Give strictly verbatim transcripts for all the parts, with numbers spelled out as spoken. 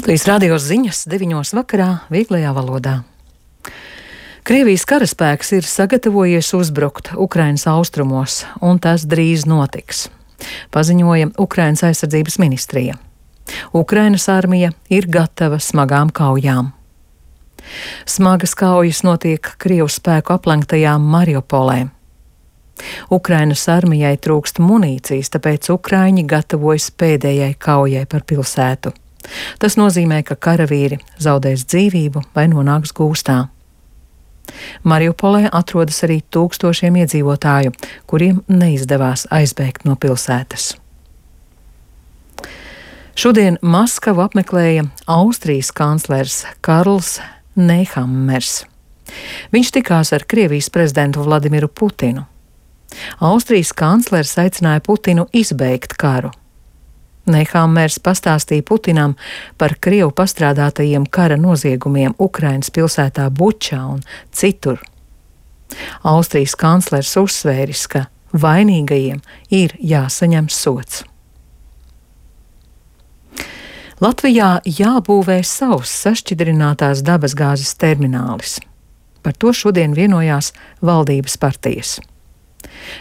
Latvijas radio ziņas deviņos vakarā vieglajā valodā. Krievijas karaspēks ir sagatavojies uzbrukt Ukrainas austrumos, un tas drīz notiks, paziņoja Ukrainas aizsardzības ministrija. Ukrainas armija ir gatava smagām kaujām. Smagas kaujas notiek Krievu spēku aplenktajā Mariupolē. Ukrainas armijai trūkst munīcijas, tāpēc ukraiņi gatavojas pēdējai kaujai par pilsētu. Tas nozīmē, ka karavīri zaudēs dzīvību vai nonāks gūstā. Mariupolē atrodas arī tūkstošiem iedzīvotāju, kuriem neizdevās aizbēgt no pilsētas. Šodien Maskavu apmeklēja Austrijas kanclers Karls Nehammers. Viņš tikās ar Krievijas prezidentu Vladimiru Putinu. Austrijas kanclers aicināja Putinu izbeigt karu. Nehammers pastāstīja Putinam par Krievu pastrādātajiem kara noziegumiem Ukrainas pilsētā Bučā un citur. Austrijas kanclers uzsvēris, ka vainīgajiem ir jāsaņem sods. Latvijā jābūvē savs sašķidrinātās dabasgāzes terminālis. Par to šodien vienojās valdības partijas.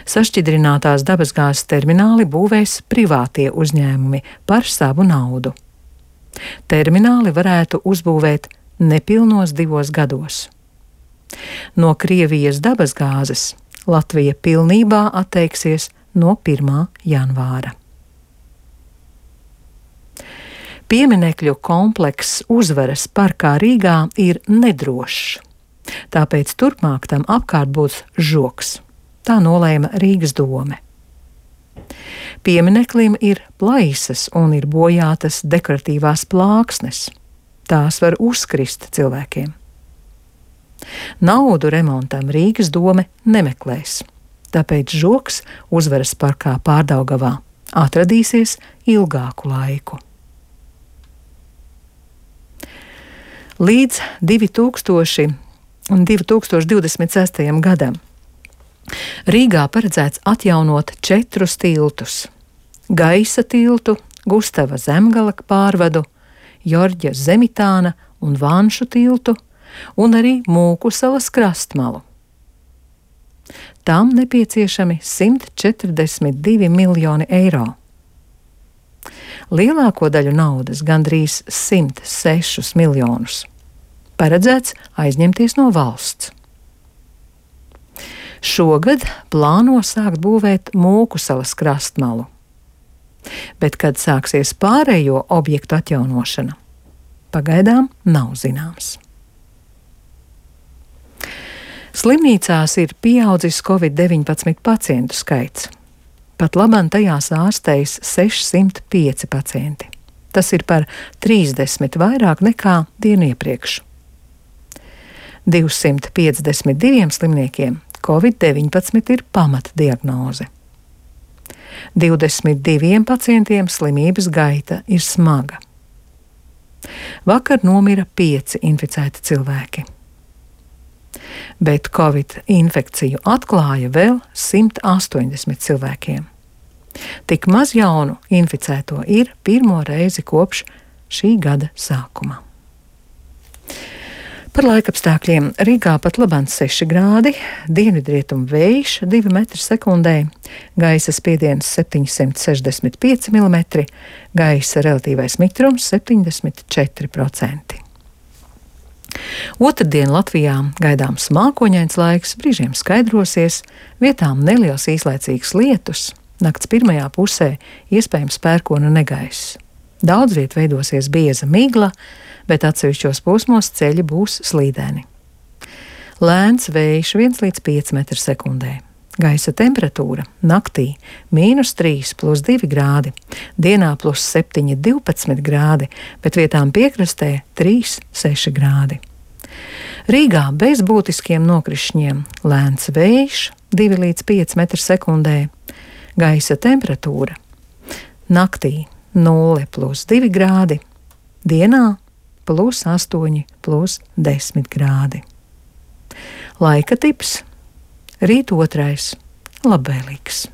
Sašķidrinātās dabasgāzes termināli būvēs privātie uzņēmumi par savu naudu. Termināli varētu uzbūvēt nepilnos divos gados. No Krievijas dabasgāzes Latvija pilnībā atteiksies no pirmā janvāra. Pieminekļu komplekss Uzvaras parkā Rīgā ir nedrošs, tāpēc turpmāk tam apkārt būs žoks. Tā nolēma Rīgas dome. Piemineklim ir plaisas un ir bojātas dekoratīvās plāksnes. Tās var uzkrist cilvēkiem. Naudu remontam Rīgas dome nemeklēs, tāpēc žoks Uzvaras parkā Pārdaugavā atradīsies ilgāku laiku. Līdz divi tūkstoši divdesmit sestajam gadam Rīgā paredzēts atjaunot četrus tiltus – Gaisa tiltu, Gustava Zemgala pārvadu, Jorģa Zemitāna un Vanšu tiltu un arī Mūkusalas krastmalu. Tam nepieciešami simt četrdesmit divi miljoni eiro. Lielāko daļu naudas, gandrīz simt sešus miljonus, paredzēts aizņemties no valsts. Šogad plāno sākt būvēt Mūkusalas krastmalu, bet kad sāksies pārējo objektu atjaunošana, pagaidām nav zināms. Slimnīcās ir pieaudzis covid deviņpadsmit pacientu skaits. Pat labam tajās ārstējas sešsimt pieci pacienti. Tas ir par trīsdesmit vairāk nekā dienu iepriekš. divsimt piecdesmit diviem slimniekiem covid deviņpadsmit ir pamatdiagnoze. divdesmit diviem pacientiem slimības gaita ir smaga. Vakar nomira pieci inficēti cilvēki. Bet covid infekciju atklāja vēl simt astoņdesmit cilvēkiem. Tik maz jaunu inficēto ir pirmo reizi kopš šī gada sākuma. Par laikapstākļiem Rīgā pat labāk seši grādi, dienvidrietumu vējš divi metri sekundē, gaisa spiediens septiņsimt sešdesmit pieci milimetri, gaisa relatīvais mitrums septiņdesmit četri procenti. Otrdien Latvijā gaidāms mākoņains laiks, brīžiem skaidrosies, vietām neliels īslaicīgs lietus, nakts pirmajā pusē iespējams pērkona negaiss. Daudz viet veidosies bieza migla, bet atsevišķos posmos ceļi būs slīdeni. Lēns vējš viens līdz pieci metri sekundē. Gaisa temperatūra naktī mīnus trīs plus divi grādi, dienā plus septiņi divpadsmit grādi, bet vietām piekrastē trīs seši grādi. Rīgā bez būtiskiem nokrišņiem lēns vējš divi līdz pieci metri sekundē. Gaisa temperatūra naktī nulle plus divi grādi, dienā plus astoņi plus desmit grādi. Laika tips rīt otrais labvēlīgs.